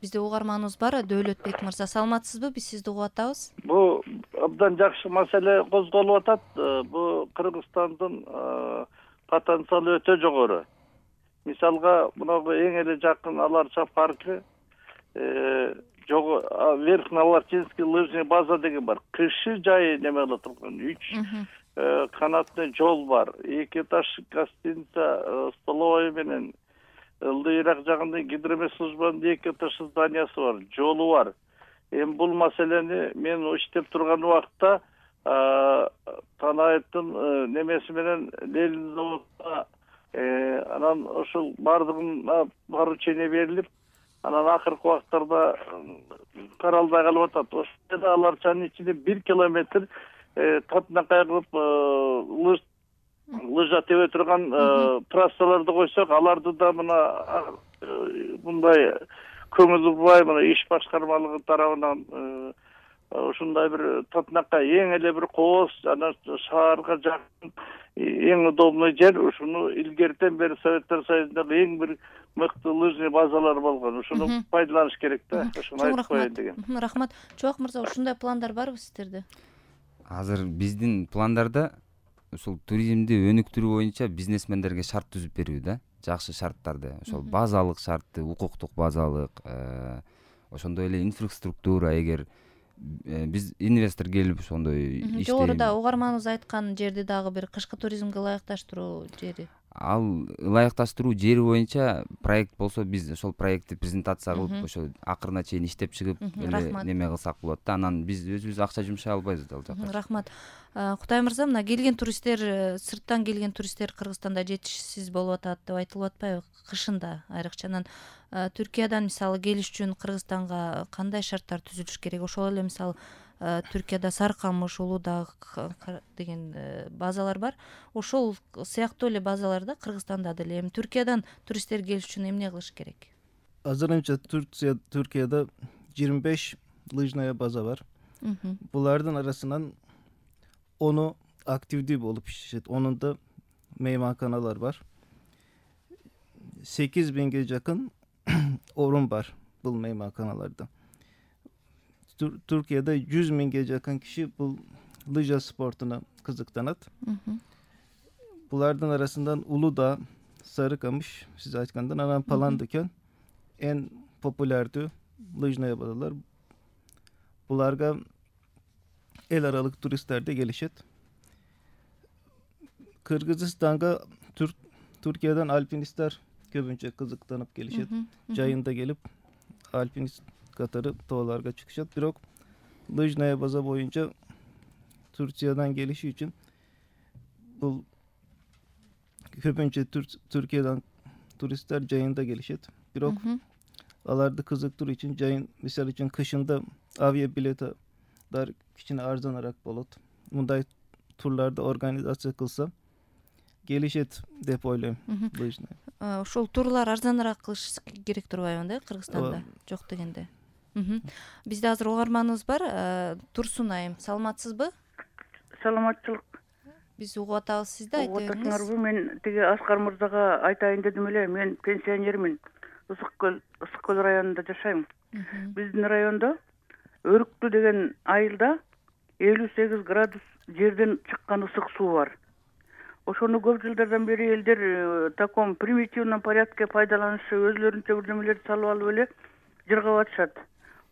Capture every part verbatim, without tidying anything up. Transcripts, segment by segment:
Бизде угарманыбыз бар, Дөөлөтбек мырза. Саламатсызбы? Биз сизди угуп атабыз. Бул абдан жакшы маселе козголуп атат. Бул Кыргызстандын потенциалы өтө жогору. Мисалга, мынагу эң эле жакын Аларча паркы, Верхнеаларчинский лыжный база деген бар. Кышы жайы неме кылып турган. үч канатный жол бар. эки этаж гостиница, столовый менен ылдыйраак жагында гидромедслужбанын эки этаждуу зданиясы бар, жолу бар. Эми бул маселени мен иштеп турган убакта Танаевдин немеси менен Ленин заводуна анан ошол бардыгына поручение берилип, анан акыркы убактарда каралбай калып атат. Ошол Аларчанын ичинде бир километр татынакай кылып лыж лыжа тебе турган трассаларды койсок, аларды да мына мындай көңүл бурбай, мына иш башкармалыгы тарабынан ушундай бир татынакай эң эле бир кооз, анан шаарга жакын эң удобный жер. Ушуну илгертен бери Советтер Союзундагы эң бир мыкты лыжный базалар болгон. Ушуну пайдаланыш керек да. Ушуну айтып коеюн деген. Рахмат. Чубак мырза, ушундай пландар барбы сиздерде? Азыр биздин пландарда ушул туризмди өнүктүрүү боюнча бизнесмендерге шарт түзүп берүү да, жакшы шарттарды. Ошол базалык шартты, укуктук базалык, ошондой эле инфраструктура. Эгер биз инвестор келип ошондой иштейм. Жогоруда угарманыбыз айткан жерди дагы бир кышкы туризмге ылайыкташтыруу жери. Ал ылайыкташтыруу жери боюнча проект болсо, биз ошол проектти презентация кылып, ошо акырына чейин иштеп чыгып эле неме кылсак болот да. Анан биз өзүбүз акча жумшай албайбыз ал жакка. Рахмат. Кутай мырза, мына келген туристтер, сырттан келген туристтер Кыргызстанда жетишсиз болуп атат деп айтылып атпайбы? Кышында айрыкча. Анан Түркиядан мисалы келиш үчүн Кыргызстанга кандай шарттар түзүлүш керек? Ошол эле мисалы Түркияда Саркамыш, Улуудак деген базалар бар. Ошол сыяктуу эле базаларда Кыргызстанда деле эми Түркиядан туристтер келиш үчүн эмне кылыш керек? Азырынча Түркия Түркияда жыйырма беш лыжная база бар. Булардын арасынан ону активдүү болуп иштешет. Онунда мейманканалар бар. сегиз миңге жакын орун бар бул мейманканаларда. Түркияда жүз миңге жакын киши бул лыжа спортуна кызыктанат. Булардын арасынан Улуудак, Сарыкамыш, сиз айткандай, анан Паландыкен эң популярдуу лыжная базалар. Буларга эл аралык туристтер де келишет. Кыргызстанга Түркиядан альпинисттер көбүнчө кызыктанып келишет. Жайында келип альпинист катары тоолорго чыгышат. Бирок лыжная база боюнча Түркиядан келиши үчүн бул көбүнчө Түркиядан туристтер жайында келишет. Бирок аларды кызыктыруу үчүн жайын, мисалы үчүн кышында авиабилеттер кичине арзаныраак болот. Мындай турларды организация кылса келишет деп ойлойм. Ошол турлар арзаныраак кылыш керек турбайбы да Кыргызстанда? Жок дегенде. Бизде азыр угарманыбыз бар. Турсун айым, саламатсызбы? Саламатчылык. Биз угуп атабыз, сизди айта бериңиз. Угуп мен тиги Аскар мырзага айтайын дедим эле. Мен пенсионермин. Ысык көл, Ысык көл районунда жашайм. Биздин райондо Өрүктү деген айылда элүү сегиз градус жерден чыккан ысык суу бар. Ошону көп жылдардан бери элдер таком примитивном порядке пайдаланышы, өзлөрүнчө бир немелерди салып алып эле жыргап атышат.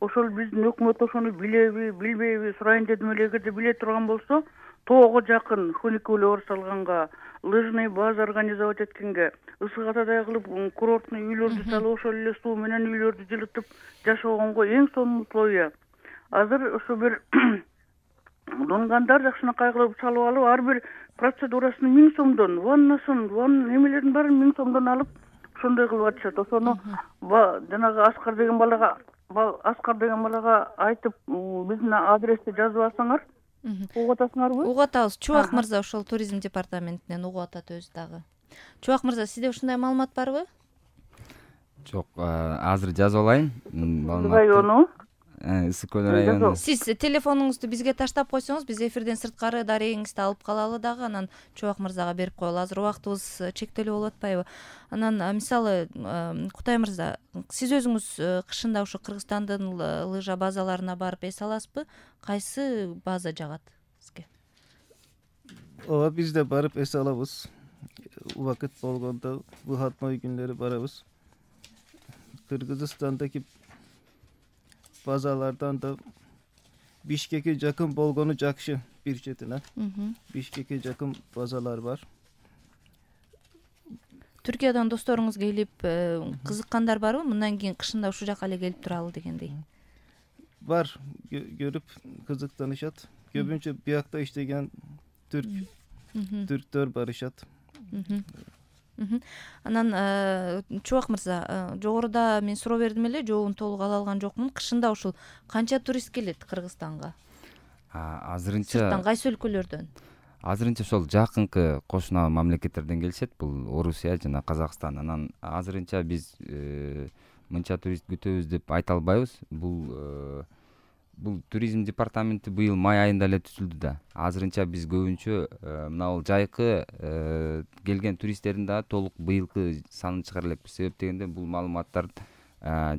Ошол биздин өкмөт ошону билеби, билбейби сурайын дедим эле. Эгерде биле турган болсо, тоого жакын фуникулер салганга, лыжный база организовать эткенге, ысык атадай кылып курортный үйлөрдү салып, ошол эле суу менен үйлөрдү жылытып жашагонго эң сонун условия. Азыр ошо бир донгандар жакшынакай кылып салып алып, ар бир процедурасын миң сомдон, ваннасын, ван немелерин баарын миң сомдон алып, ошондой кылып атышат. Ошону жанагы Аскар деген балага, Аскар деген балага айтып, биздин адрести жазып алсаңар, угуп атасыңарбы? Угуп атабыз. Чубак мырза ошол туризм департаментинен угуп атат өзү дагы. Чубак мырза, сизде ушундай маалымат барбы? Жок, азыр жазып алайын. Району ысык көл району. Сиз телефонуңузду бизге таштап койсоңуз, биз эфирден сырткары дарегиңизди алып калалы дагы, анан Чубак мырзага берип коелу. Азыр убактыбыз чектелүү болуп атпайбы? Анан мисалы Кутай мырза, сиз өзүңүз кышында ушу Кыргызстандын лыжа базаларына барып эс аласызбы? Кайсы база жагат сизге? Ооба, биз да барып эс алабыз. Убакыт болгондо выходной күнлөрү барабыз. Кыргызстандагы базалардан да Бишкекке жакын болгону жакшы бир четинен. Бишкекке жакын базалар бар. Түркиядан досторуңуз келип кызыккандар барбы? Мындан кийин кышында ушул жака эле келип туралы дегендей. Бар, көрүп кызыктанышат. Көбүнчө биякта иштеген түрк түрктөр барышат. Анан Чубак мырза, жогоруда мен суроо бердим эле, жообун толук ала алган жокмун. Кышында ушул канча турист келет Кыргызстанга? Азырынча Сырттан кайсы өлкөлөрдөн? Азырынча ошол жакынкы кошуна мамлекеттерден келишет. Бул Орусия жана Казакстан. Анан азырынча биз мынча турист күтөбүз деп айта албайбыз. Бул бул туризм департаменти быйыл май айында эле түзүлдү да. Азырынча биз көбүнчө мына бул жайкы келген туристтердин дагы толук быйылкы санын чыгара элекпиз. Себеп дегенде бул маалыматтар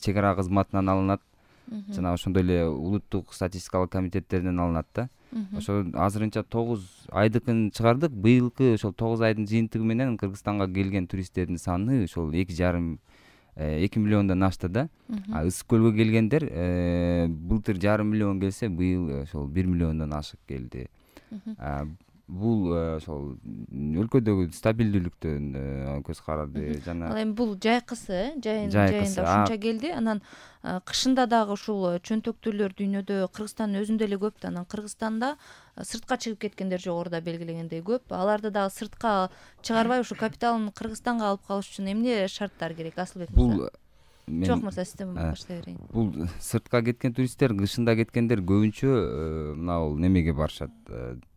чек ара кызматынан алынат жана ошондой эле улуттук статистикалык комитеттерден алынат да. Ошо азырынча тогуз айдыкын чыгардык. Быйылкы ошол тогуз айдын жыйынтыгы менен Кыргызстанга келген туристтердин саны ошол эки жарым эки миллиондон ашты да. Ысык көлгө келгендер былтыр жарым миллион келсе, быйыл ошол бир миллиондон ашык келди. Бул ошол өлкөдөгү стабилдүүлүктөн көз карады жана. Ал эми бул жайкысы, жайын жайында ушунча келди. Анан кышында дагы ушул чөнтөктүүлөр дүйнөдө Кыргызстандын өзүндө эле көп да. Анан Кыргызстанда сыртка чыгып кеткендер жогоруда белгилегендей көп. Аларды дагы сыртка чыгарбай ушу капиталын Кыргызстанга алып калыш үчүн эмне шарттар керек? Асылбек мырза. Бул Жок мырза, сизден баштай берейин. Бул сыртка кеткен туристтер, кышында кеткендер көбүнчө мына бул немеге барышат.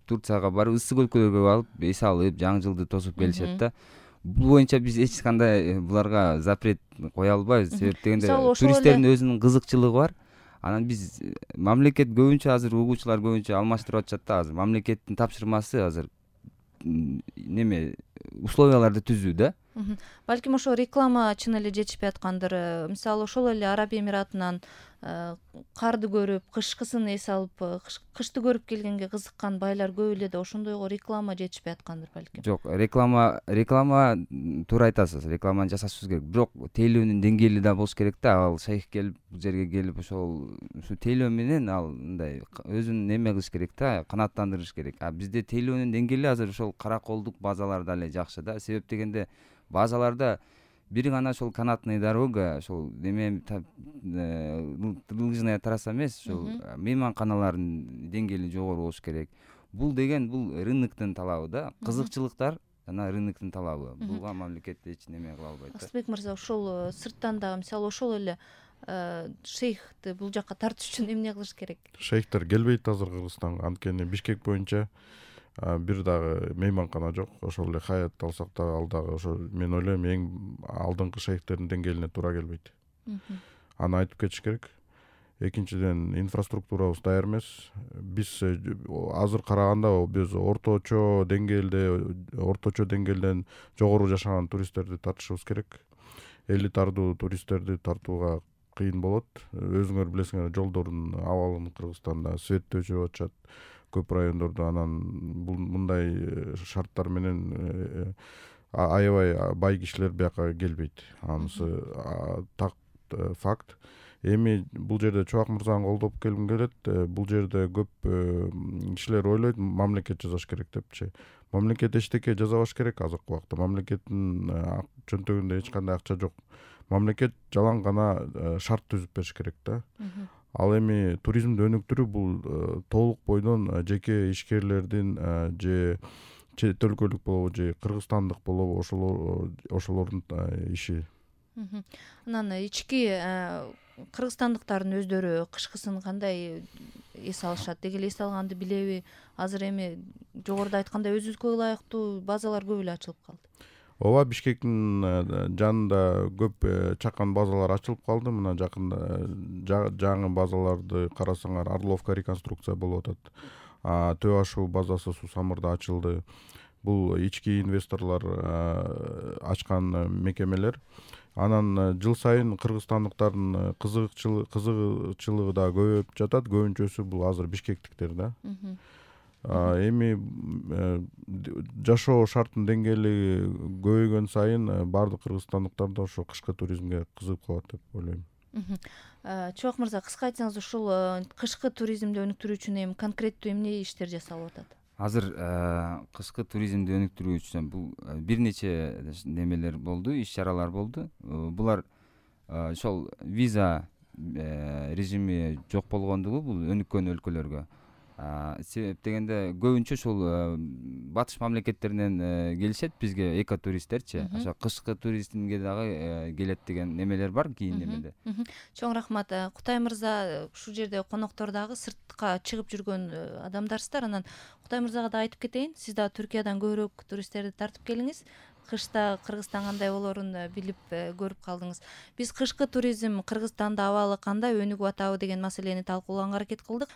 Турцияга барып, ысык өлкөлөргө алып эс алып, жаңы жылды тосуп келишет да. Бул боюнча биз эч кандай буларга запрет кое албайбыз. Себеп дегенде туристтердин өзүнүн кызыкчылыгы бар. Анан биз мамлекет көбүнчө азыр угуучулар көбүнчө алмаштырып атышат да. Азыр мамлекеттин тапшырмасы азыр неме условияларды түзүү да. Балким ошо реклама чын эле жетишпей аткандыр. Мисалы ошол эле Араб Эмиратынан карды көрүп, кышкысын эс алып, кышты көрүп келгенге кызыккан байлар көп эле да, ошондойго реклама жетишпей аткандыр балким. Жок, реклама реклама туура айтасыз. Рекламаны жасашыбыз керек. Бирок тейлөөнүн деңгээли да болуш керек да. Ал шейх келип, бул жерге келип ошол ушу тейлөө менен ал мындай өзүн неме кылыш керек да, канааттандырыш керек. А бизде тейлөөнүн деңгээли азыр ошол караколдук базаларда эле жакшы да. Себеп дегенде базаларда бир гана ошол канатный дорога, ошол неме лыжная трасса эмес, ошол мейманканалардын деңгээли жогору болуш керек. Бул деген бул рыноктун талабы да, кызыкчылыктар жана рыноктун талабы. Буга мамлекет эч неме кыла албайт да. Асылбек мырза, ошол сырттан дагы мисалы ошол эле шейхти бул жакка тартыш үчүн эмне кылыш керек? Шейхтер келбейт азыр Кыргызстанга, анткени Бишкек боюнча бир дагы мейманкана жок. Ошол эле Хаят алсак да, ал дагы ошо мен ойлойм эң алдыңкы шейхтердин деңгээлине туура келбейт. Аны айтып кетиш керек. Экинчиден, инфраструктурабыз даяр эмес. Биз азыр караганда биз орточо деңгээлде, орточо деңгээлден жогору жашаган туристтерди тартышыбыз керек. Элитардуу туристтерди тартууга кыйын болот. Өзүңөр билесиңер, жолдордун абалын Кыргызстанда свет өчүрүп атышат көп райондордо. Анан бул мындай шарттар менен аябай бай кишилер бияка келбейт. Анысы так факт. Эми бул жерде Чубак мырзаны колдоп келгим келет. Бул жерде көп кишилер ойлойт мамлекет жасаш керек депчи. Мамлекет эчтеке жасабаш керек азыркы убакта. Мамлекеттин чөнтөгүндө эч кандай акча жок. Мамлекет жалаң гана шарт түзүп бериш керек да. Ал эми туризмди өнүктүрүү бул толук бойдон жеке ишкерлердин же чет өлкөлүк болобу же кыргызстандык болобу ошолордун иши. Анан ички кыргызстандыктардын өздөрү кышкысын кандай эс алышат? Деги эле эс алганды билеби? Азыр эми жогоруда айткандай өзүбүзгө ылайыктуу базалар көп эле ачылып калды. ооба, Бишкектин жанында көп чакан базалар ачылып калды. Мына жакында жаңы базаларды карасаңар, Орловка реконструкция болуп атат. Төө ашуу базасы Сусамырда ачылды. Бул ички инвесторлор ачкан мекемелер. Анан жыл сайын кыргызстандыктардын кызыгчылыгы да көбөйүп жатат. Көбүнчөсү бул азыр бишкектиктер да. Эми жашоо шарттын деңгээли көбөйгөн сайын баардык кыргызстандыктар да ошо кышкы туризмге кызыгып калат деп ойлойм. Чубак мырза, кыска айтсаңыз, ушул кышкы туризмди өнүктүрүү үчүн эми конкреттүү эмне иштер жасалып атат? Азыр кышкы туризмди өнүктүрүү үчүн бул бир нече немелер болду, иш-чаралар болду. Булар ошол виза режими жок болгондугу бул өнүккөн өлкөлөргө. Себеп дегенде көбүнчө ушул батыш мамлекеттеринен келишет бизге экотуристтерчи. Ошо кышкы туризмге дагы келет деген немелер бар кийин немеде. Чоң рахмат. Кутай мырза, ушул жерде коноктор дагы сыртка чыгып жүргөн адамдарсыздар. Анан Кутай мырзага да айтып кетейин, сиз да Түркиядан көбүрөөк туристтерди тартып келиңиз. Кышта Кыргызстан кандай болорун билип көрүп калдыңыз. Биз кышкы туризм Кыргызстанда абалы кандай, өнүгүп атабы деген маселени талкуулаганга аракет кылдык.